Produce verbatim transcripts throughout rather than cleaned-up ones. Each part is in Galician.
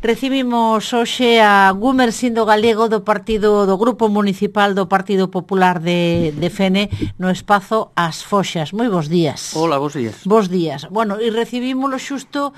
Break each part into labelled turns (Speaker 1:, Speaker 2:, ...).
Speaker 1: Recibimos hoxe a Gumersindo Galego do partido do Grupo Municipal do Partido Popular de, de Fene no espazo As Foxas. Moi bons días.
Speaker 2: Hola, bons días.
Speaker 1: Bos días. Bueno, e recibímolo xusto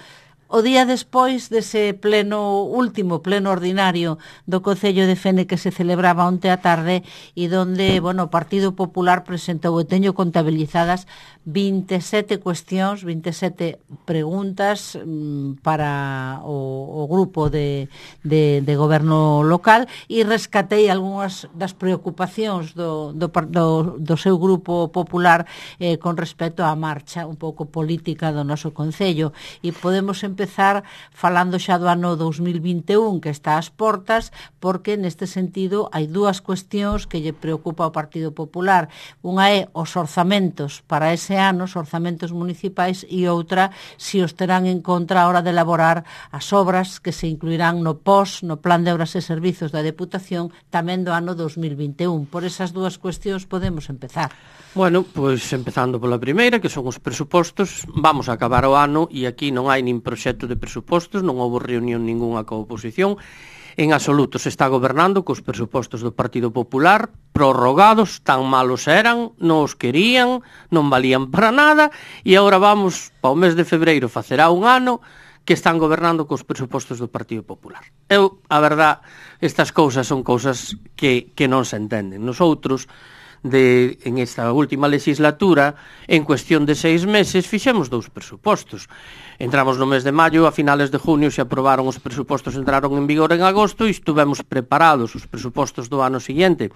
Speaker 1: o día despois dese pleno, último pleno ordinario do Concello de Fene que se celebraba onte á tarde e donde, bueno, o Partido Popular presentou, e teño contabilizadas vinte e sete cuestións, vinte e sete preguntas mm, para o, o grupo de, de, de goberno local, e rescatei algunhas das preocupacións do, do, do, do seu grupo popular eh, con respecto á marcha un pouco política do noso Concello, e podemos empezar empezar falando xa do ano dos mil vinte e un que está ás portas, porque neste sentido hai dúas cuestións que lle preocupa ao Partido Popular. Unha é os orzamentos para ese ano, os orzamentos municipais, e outra, si os terán en contra a hora de elaborar as obras que se incluirán no P O S, no Plan de Obras e Servizos da Deputación, tamén do ano dos mil vinte e un. Por esas dúas cuestións podemos empezar.
Speaker 2: Bueno, pois empezando pola primeira, que son os presupostos. Vamos a acabar o ano e aquí non hai nin proxecto de presupostos, non houve reunión ninguna coa oposición. En absoluto se está gobernando cos presupostos do Partido Popular, prorrogados, tan malos eran, non os querían, non valían para nada, e agora vamos, para o mes de febreiro, facerá un ano que están gobernando cos presupostos do Partido Popular. Eu, a verdad, estas cousas son cousas que, que non se entenden. Nosotros, de, en esta última legislatura, en cuestión de seis meses, fixemos dous presupostos. Entramos no mes de maio, a finales de junio se aprobaron os presupostos, entraron en vigor en agosto, e estuvemos preparados os presupostos do ano seguinte,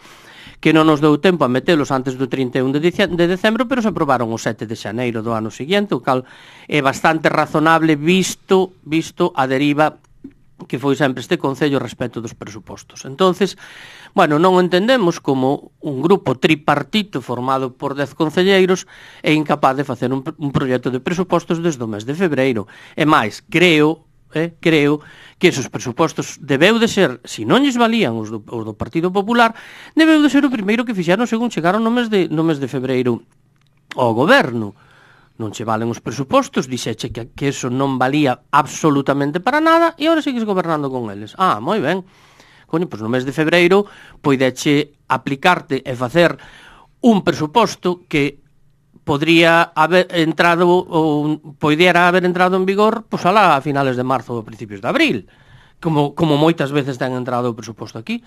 Speaker 2: que non nos deu tempo a metelos antes do trinta e un de decembro, pero se aprobaron o sete de xaneiro do ano seguinte, o cal é bastante razonable visto, visto a deriva que foi sempre este Concello respecto dos presupostos. Entonces, bueno, non entendemos como un grupo tripartito formado por dez concelleiros é incapaz de facer un, un proxecto de presupostos desde o mes de febreiro. E máis, creo, eh, creo que esos presupostos debeu de ser, se non lles valían os do, os do Partido Popular, debeu de ser o primeiro que fixeron según chegaron no mes de, no mes de febreiro ao goberno. Non che valen os presupostos, dixeche que, que eso non valía absolutamente para nada, e agora sigues gobernando con eles. Ah, moi ben. Coño, pois no mes de febreiro poideche aplicarte e facer un presuposto que podría haber entrado ou poidera haber entrado en vigor pois alá a finales de marzo ou principios de abril, como, como moitas veces ten entrado o presuposto aquí,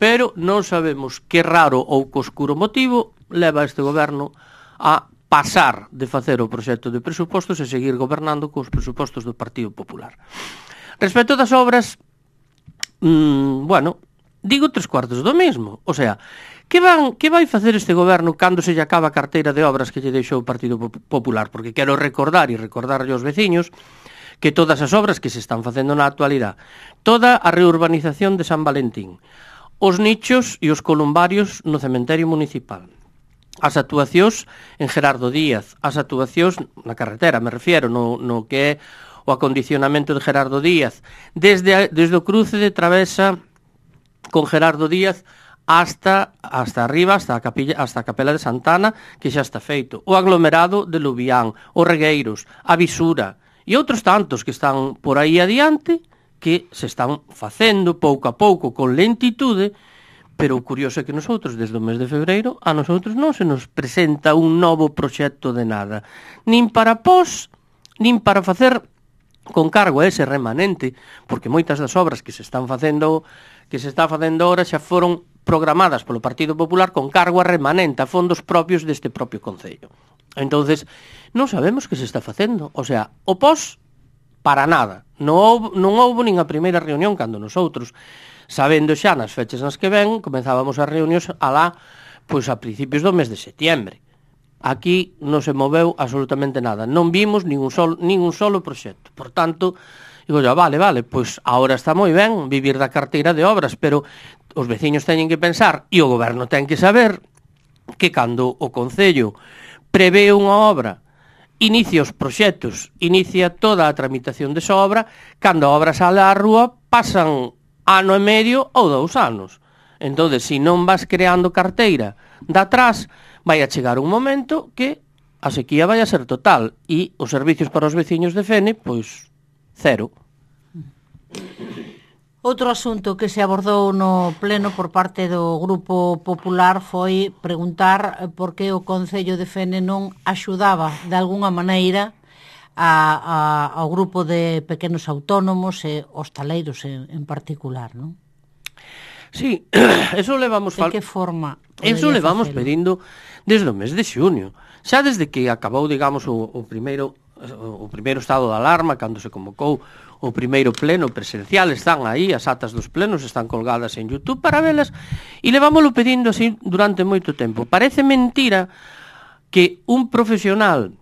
Speaker 2: pero non sabemos que raro ou que oscuro motivo leva este goberno a pasar de facer o proxecto de presupostos e seguir gobernando cos presupostos do Partido Popular. Respecto das obras, mmm, bueno, digo tres cuartos do mesmo. O sea, que, van, que vai facer este goberno cando se lle acaba a carteira de obras que lle deixou o Partido Popular? Porque quero recordar e recordarlle aos veciños que todas as obras que se están facendo na actualidade, toda a reurbanización de San Valentín, os nichos e os columbarios no cementerio municipal, as actuacións en Gerardo Díaz, as actuacións na carretera, me refiero, no, no que é o acondicionamento de Gerardo Díaz, desde, desde o cruce de Travesa con Gerardo Díaz hasta hasta arriba, hasta a, capilla, hasta a Capela de Santana, que xa está feito, o aglomerado de Lubián, os Regueiros, a Visura, e outros tantos que están por aí adiante, que se están facendo pouco a pouco, con lentitude. Pero o curioso é que nosotros, desde o mes de febreiro, a nosotros non se nos presenta un novo proxecto de nada. Nin para pos, nin para facer con cargo a ese remanente, porque moitas das obras que se están facendo, que se está facendo ahora xa foron programadas polo Partido Popular con cargo a remanente, a fondos propios deste propio Concello. Entonces, non sabemos que se está facendo. O sea, o pos, para nada. Non houve, non houve nin a primeira reunión cando nosotros, sabendo xa nas fechas nas que ven, comenzábamos as reunións alá, pois a principios do mes de setiembre. Aquí non se moveu absolutamente nada. Non vimos ningún solo, ningún solo proxecto. Por tanto, digo, ya, vale, vale, pois agora está moi ben vivir da carteira de obras, pero os veciños teñen que pensar, e o goberno ten que saber, que cando o Concello prevé unha obra, inicia os proxectos, inicia toda a tramitación desa obra, cando a obra sale á rúa, pasan ano e medio ou dous anos. Entón, se non vas creando carteira de atrás, vai a chegar un momento que a sequía vai a ser total e os servicios para os veciños de Fene, pois, cero.
Speaker 1: Outro asunto que se abordou no pleno por parte do Grupo Popular foi preguntar por que o Concello de Fene non axudaba de algunha maneira a, a, ao grupo de pequenos autónomos e hostaleiros en, en particular, non?
Speaker 2: Sí, eso levamos
Speaker 1: fal... De que forma?
Speaker 2: Eso levamos facelo? Pedindo desde o mes de xunio. Xa desde que acabou, digamos, o, o primeiro o primeiro estado de alarma, cando se convocou o primeiro pleno presencial, están aí, as atas dos plenos están colgadas en YouTube para velas, e levámoslo pedindo así durante moito tempo. Parece mentira que un profesional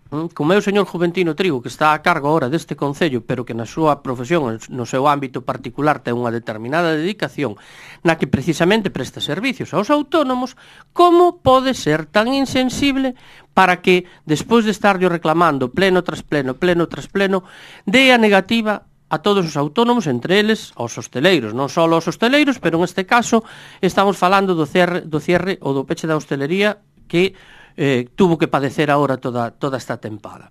Speaker 2: como é o señor Juventino Trigo, que está a cargo ahora deste concello, pero que na súa profesión, no seu ámbito particular, ten unha determinada dedicación na que precisamente presta servicios aos autónomos, como pode ser tan insensible para que, despois de estarlo reclamando pleno tras pleno, pleno tras pleno, dé a negativa a todos os autónomos, entre eles aos hosteleiros, non só aos hosteleiros, pero en este caso estamos falando do cierre, do cierre ou do peche da hostelería que Eh, tuvo que padecer ahora toda, toda esta tempada.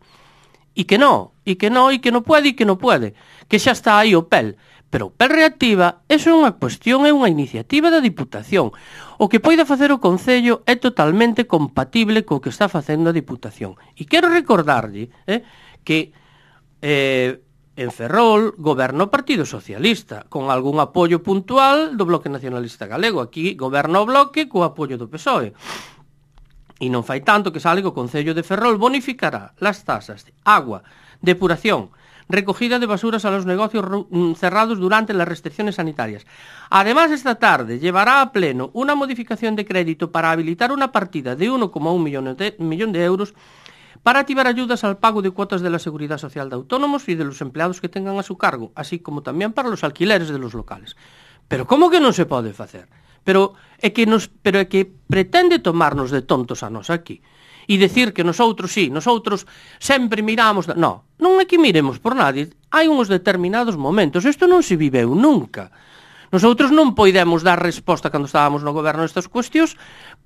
Speaker 2: E que no, e que no, e que non pode, e que non pode, que xa está aí o P E L. Pero o P E L reactiva, eso é unha cuestión, é unha iniciativa da Diputación. O que poida facer o Concello é totalmente compatible co que está facendo a Diputación. E quero recordarlle eh, que eh, en Ferrol goberna o Partido Socialista, con algún apoio puntual do Bloque Nacionalista Galego. Aquí goberna o Bloque co apoio do P S O E. E non fai tanto que sale que o Concello de Ferrol bonificará las tasas de agua, depuración, recogida de basuras a los negocios cerrados durante las restricciones sanitarias. Además, esta tarde llevará a pleno una modificación de crédito para habilitar una partida de uno coma uno millón de, millón de euros para activar ayudas al pago de cuotas de la Seguridad Social de autónomos y de los empleados que tengan a su cargo, así como también para los alquileres de los locales. Pero ¿cómo que non se pode facer? Pero é que nos, pero é que pretende tomarnos de tontos a nos aquí e decir que nosotros, sí, nosotros sempre miramos... No, non é que miremos por nadie. Hai uns determinados momentos. Isto non se viveu nunca. Nosotros non poidemos dar resposta cando estábamos no goberno nestas cuestións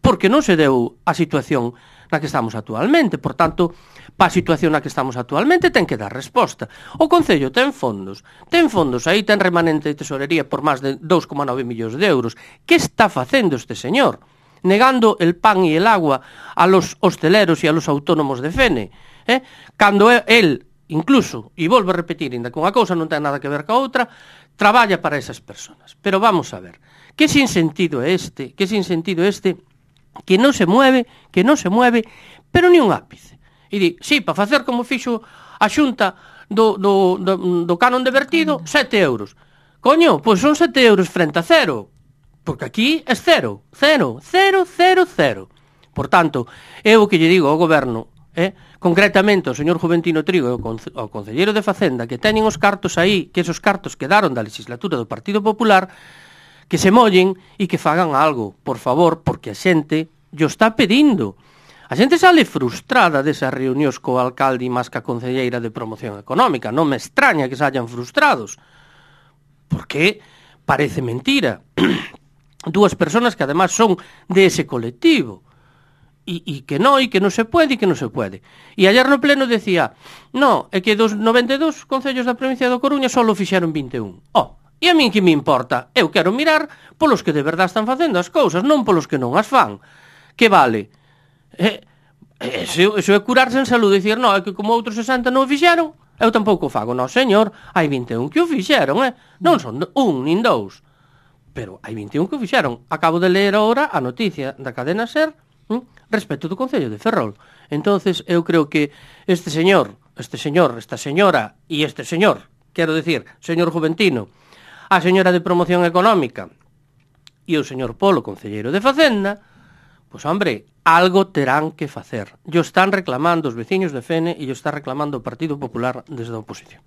Speaker 2: porque non se deu a situación na que estamos actualmente. Por tanto, pa a situación na que estamos actualmente ten que dar resposta. O Concello ten fondos. Ten fondos, aí ten remanente de tesorería por máis de dous coma nove millóns de euros. Que está facendo este señor? Negando el pan e el agua a los hosteleros e a los autónomos de Fene. Eh? Cando el, incluso, e volvo a repetir, ainda que unha cousa non ten nada que ver ca outra, traballa para esas personas. Pero vamos a ver, que sinsentido é este, que sinsentido é este, que non se mueve, que non se mueve, pero ni un ápice. E di, sí, para facer como fixo a Xunta do, do, do, do canon de vertido, sete euros. Coño, pois son sete euros frente a cero, porque aquí é cero, cero, cero, cero, cero. Por tanto, eu o que lle digo ao goberno, eh, concretamente ao señor Juventino Trigo e ao concelleiro de Facenda, que teñen os cartos aí, que esos cartos quedaron da legislatura do Partido Popular, que se mollen e que fagan algo, por favor, porque a xente yo está pedindo. A xente sale frustrada desas reunións co alcalde e máis ca concelleira de promoción económica. Non me extraña que se hayan frustrados, porque parece mentira. Dúas personas que además son de ese colectivo. E, e que non, e que non se pode, e que non se pode. E ayer no pleno decía, no, é que dos noventa e dous concellos da provincia do Coruña só fixeron vinte e un. Oh, e a min que me importa? Eu quero mirar polos que de verdade están facendo as cousas, non polos que non as fan. Que vale? Eh, eso, eso é curarse en salud, dicir, no, é que como outros sesenta non o fixeron, eu tampouco o fago. No, señor, hai vinte e un que o fixeron, eh? Non son un nin dous, pero hai vinte e un que o fixeron. Acabo de ler agora a noticia da cadena SER hm, respecto do Concello de Ferrol. Entonces, eu creo que este señor, este señor, esta señora e este señor, quero decir, señor Juventino, a señora de Promoción Económica e o señor Polo, concelleiro de Facenda, pois, hombre, algo terán que facer. Yo están reclamando os veciños de Fene e yo está reclamando o Partido Popular desde a oposición.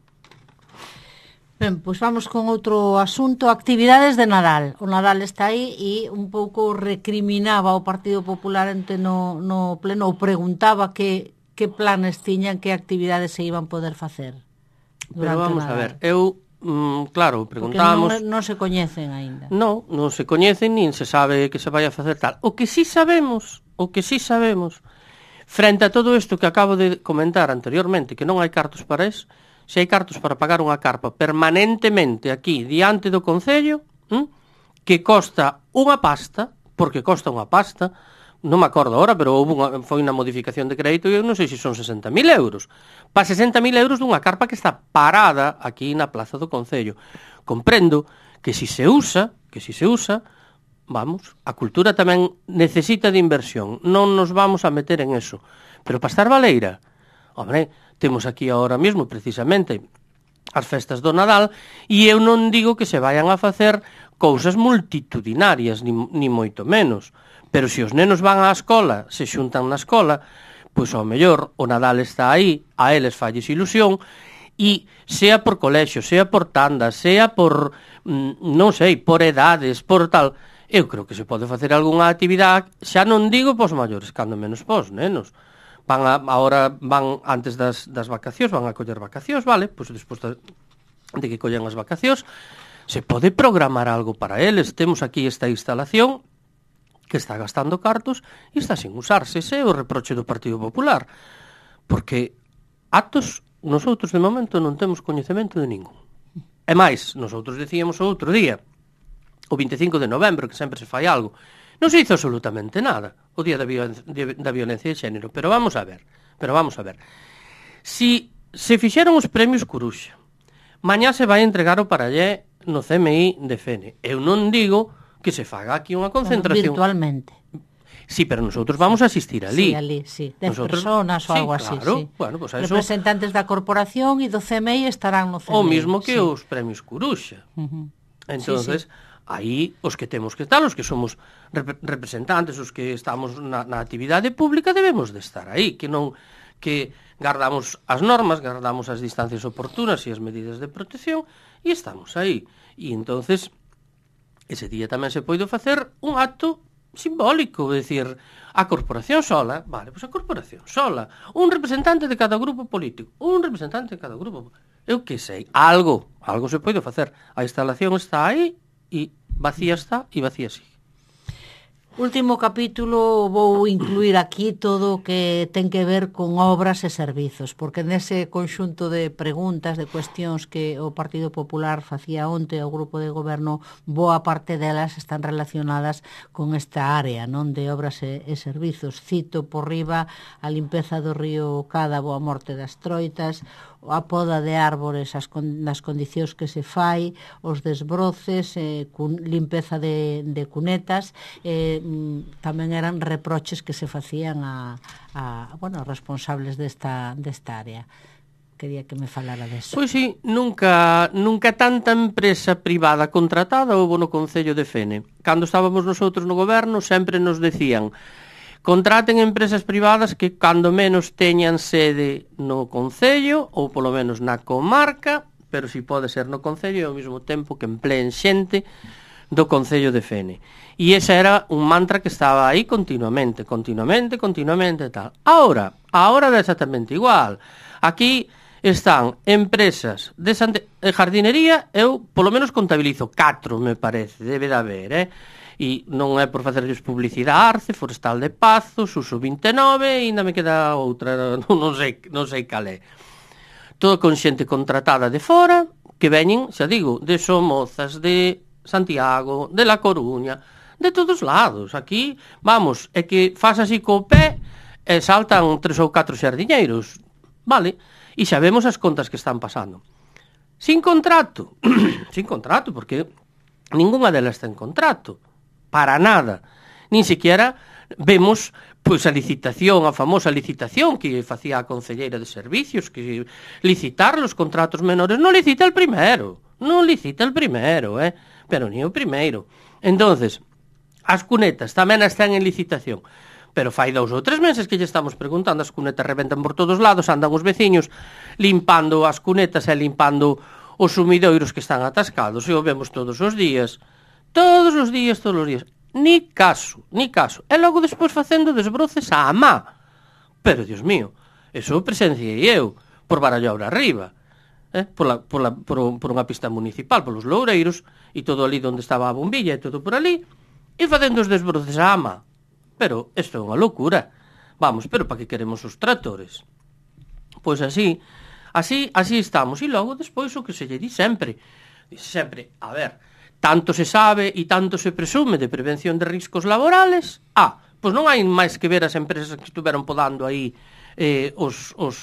Speaker 1: Ben, pois vamos con outro asunto, actividades de Nadal. O Nadal está aí e un pouco recriminaba o Partido Popular ente no, no pleno, ou preguntaba que, que planes tiñan, que actividades se iban poder facer.
Speaker 2: Pero vamos a ver, eu Mm, claro, preguntamos...
Speaker 1: Porque non, non se coñecen aínda.
Speaker 2: Non, non se coñecen, nin se sabe que se vai a facer tal. O que sí sabemos, o que sí sabemos, frente a todo isto que acabo de comentar anteriormente, que non hai cartos para eso, se hai cartos para pagar unha carpa permanentemente aquí, diante do Concello, hm? que costa unha pasta, porque costa unha pasta, non me acordo agora, pero houve unha, foi unha modificación de crédito e eu non sei se son sesenta mil euros. Pa sesenta mil euros dunha carpa que está parada aquí na plaza do Concello. Comprendo que si se usa, que si se usa, vamos, a cultura tamén necesita de inversión. Non nos vamos a meter en eso. Pero para estar baleira, hombre, temos aquí ahora mesmo, precisamente, as festas do Nadal, e eu non digo que se vayan a facer cousas multitudinarias, ni, ni moito menos. Pero se os nenos van á escola, se xuntan na escola, pois ao mellor o Nadal está aí, a eles falles ilusión, e sea por colexio, sea por tandas, sea por, non sei, por edades, por tal, eu creo que se pode facer algunha actividade, xa non digo pos maiores, cando menos pos nenos. Van a, ahora van antes das, das vacacións, van a coller vacacións, vale? Pois despois de, de que collen as vacacións, se pode programar algo para eles. Temos aquí esta instalación que está gastando cartos e está sin usarse. Ese é o reproche do Partido Popular. Porque actos, nosotros de momento non temos coñecemento de ningún. E máis, nosotros decíamos o outro día, o vinte e cinco de novembro, que sempre se fai algo, non se hizo absolutamente nada, o día da, violen da violencia de xénero. Pero vamos a ver, pero vamos a ver. Si se fixeron os premios Coruxa, mañá se vai entregar o parallé no C M I de Fene. Eu non digo que se faga aquí unha concentración.
Speaker 1: Bueno, virtualmente.
Speaker 2: Sí, pero nosotros vamos a asistir ali.
Speaker 1: Sí, ali, sí. Dez
Speaker 2: nosotros,
Speaker 1: personas ou
Speaker 2: sí,
Speaker 1: algo así,
Speaker 2: claro.
Speaker 1: sí.
Speaker 2: Bueno, pues eso,
Speaker 1: representantes da corporación e do C M I estarán no C M I.
Speaker 2: O mismo que
Speaker 1: sí.
Speaker 2: os premios Coruxa.
Speaker 1: Uh -huh.
Speaker 2: Entonces, sí, sí. aí os que temos que estar, os que somos rep representantes, os que estamos na, na actividade pública, debemos de estar aí, que non que guardamos as normas, guardamos as distancias oportunas e as medidas de protección e estamos aí. E entonces ese día tamén se pode facer un acto simbólico, é dicir, a corporación sola, vale, pois a corporación sola, un representante de cada grupo político, un representante de cada grupo, eu que sei, algo, algo se pode facer. A instalación está aí e vacía está e vacía sigue.
Speaker 1: Último capítulo vou incluir aquí todo o que ten que ver con obras e servizos, porque nese conxunto de preguntas, de cuestións que o Partido Popular facía onte ao grupo de goberno, boa parte delas están relacionadas con esta área, non, de obras e, e servizos. Cito por riba a limpeza do río Cádabo, a morte das troitas, a poda de árbores as con, nas condicións que se fai, os desbroces, eh, cun, limpeza de, de cunetas, eh, tamén eran reproches que se facían a, a bueno, responsables desta, desta área. Quería que me falara deso.
Speaker 2: Pois sí, nunca, nunca tanta empresa privada contratada houve no Concello de Fene. Cando estábamos nosotros no goberno sempre nos decían: contraten empresas privadas que cando menos teñan sede no Concello ou polo menos na comarca, pero si pode ser no Concello e ao mesmo tempo que empleen xente do Concello de Fene. E ese era un mantra que estaba aí continuamente, continuamente, continuamente e tal. Ahora, ahora é exactamente igual. Aquí están empresas de jardinería, eu polo menos contabilizo catro, me parece, debe de haber, eh? E non é por facerlles publicidade, Arce, Forestal de Pazos, Uso vinte e nove, e ainda me queda outra, non sei, non sei cal é. Todo con xente contratada de fora, que veñen, xa digo, de Somozas, de Santiago, de La Coruña, de todos lados. Aquí, vamos, é que faz así co pé e saltan tres ou catro xardiñeiros, vale? E xa vemos as contas que están pasando. Sin contrato, sin contrato, porque ninguna delas ten contrato. Para nada. Nin siquiera vemos pois a licitación, a famosa licitación que facía a concelleira de servicios, que licitar os contratos menores. Non licita el primeiro, non licita el primeiro, eh? Pero ni o primeiro. Entonces, as cunetas tamén están en licitación. Pero fai dous ou tres meses que lle estamos preguntando, as cunetas reventan por todos lados, andan os veciños limpando as cunetas e limpando os sumidoiros que están atascados, e o vemos todos os días. Todos os días, todos os días. Ni caso, ni caso. E logo despois facendo desbroces á má. Pero, Dios mío, eso presenciei eu, por Barallobra arriba, eh? por, la, por, la, por, por unha pista municipal, polos loureiros, e todo ali onde estaba a bombilla, e todo por ali, e facendo os desbroces á má. Pero isto é unha loucura. Vamos, pero para que queremos os tractores? Pois así, así, así estamos. E logo, despois, o que se lle di sempre, dice sempre, a ver, tanto se sabe e tanto se presume de prevención de riscos laborales, ah, pois non hai máis que ver as empresas que estuveron podando aí eh, os, os,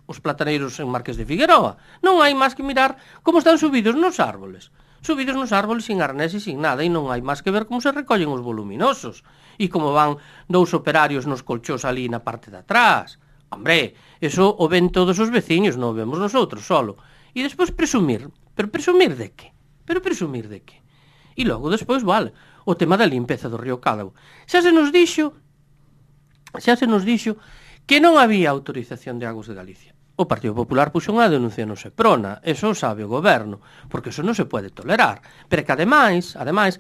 Speaker 2: os plataneiros en Marqués de Figueroa. Non hai máis que mirar como están subidos nos árboles. Subidos nos árboles sin arnés e sin nada, e non hai máis que ver como se recollen os voluminosos e como van dous operarios nos colchós ali na parte de atrás. Hombre, eso o ven todos os veciños, non o vemos nosotros solo. E despois presumir, pero presumir de que? Pero presumir de que? E logo despois, vale, o tema da limpeza do río Cádao. Xa se nos dixo, xa se nos dixo que non había autorización de Aguas de Galicia. O Partido Popular puxo unha denuncia no Seprona, eso o sabe o goberno, porque eso non se pode tolerar. Pero que ademais, ademais,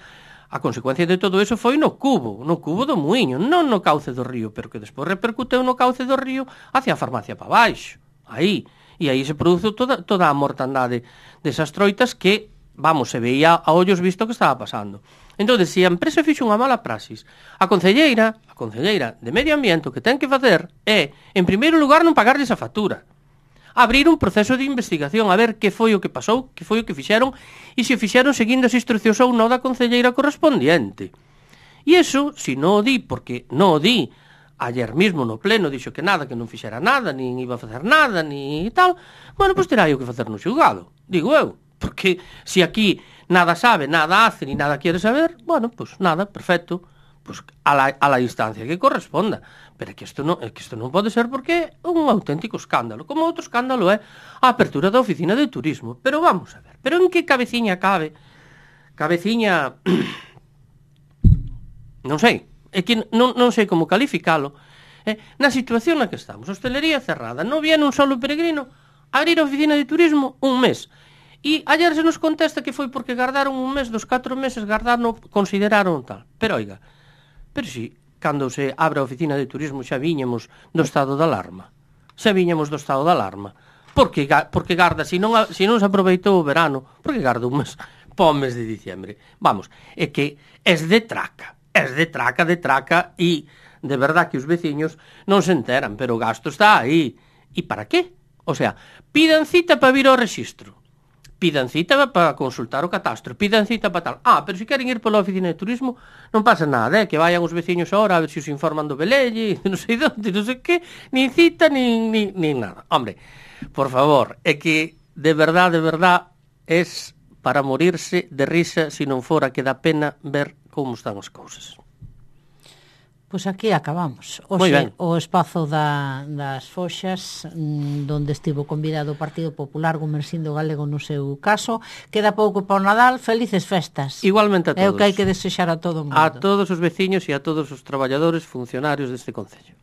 Speaker 2: a consecuencia de todo eso foi no cubo, no cubo do muiño, non no cauce do río, pero que despois repercuteu no cauce do río hacia a farmacia para baixo, aí. E aí se produce toda, toda a mortandade desas troitas que, vamos, se veía a ollos visto que estaba pasando. Entón, se a empresa fixo unha mala praxis, a concelleira, a concelleira de Medio Ambiente, o que ten que facer é, en primeiro lugar, non pagarles a factura. Abrir un proceso de investigación, a ver que foi o que pasou, que foi o que fixeron, e se o fixeron seguindo as instruccións ou non da concelleira correspondiente. E iso, se non o di, porque non o di, ayer mismo no pleno dixo que nada, que non fixera nada, nin iba a facer nada, ni tal, bueno, pois terá o que facer no xulgado, digo eu, porque se aquí nada sabe, nada hace, ni nada quiere saber, bueno, pois nada, perfecto, pois a la, a la instancia que corresponda. Pero é que isto non, é que isto non pode ser porque é un auténtico escándalo, como outro escándalo é a apertura da oficina de turismo. Pero vamos a ver, pero en que cabeciña cabe? Cabeciña... non sei, é que non, non sei como calificalo. Eh? Na situación na que estamos, hostelería cerrada, non viene un solo peregrino a abrir a oficina de turismo un mes. E ayer se nos contesta que foi porque gardaron un mes dos catro meses, gardaron, consideraron tal. Pero oiga, pero si... cando se abre a oficina de turismo xa viñemos do estado de alarma. Xa viñemos do estado de alarma. Porque, porque garda, se non, se non se aproveitou o verano, porque garda un mes po mes de diciembre. Vamos, é que es de traca, es de traca, de traca, e de verdad que os veciños non se enteran, pero o gasto está aí. E para qué? O sea, pidan cita para vir ao rexistro. Pidan cita para consultar o catastro, pidan cita para tal. Ah, pero se queren ir pola oficina de turismo, non pasa nada, eh? Que vayan os veciños ahora a ver se os informan do velelle, non sei onde, non sei que, nin cita, nin, nin, nin nada. Hombre, por favor, é que de verdad, de verdad, es para morirse de risa se non fora que dá pena ver como están as cousas.
Speaker 1: Pois aquí acabamos. Oxe, o espazo da, das Foxas, donde estivo convidado o Partido Popular, Gumersindo Galego no seu caso. Queda pouco para o Nadal, felices festas.
Speaker 2: Igualmente a todos.
Speaker 1: É o que hai que desexar a todo o mundo.
Speaker 2: A todos os veciños e a todos os traballadores funcionarios deste concello.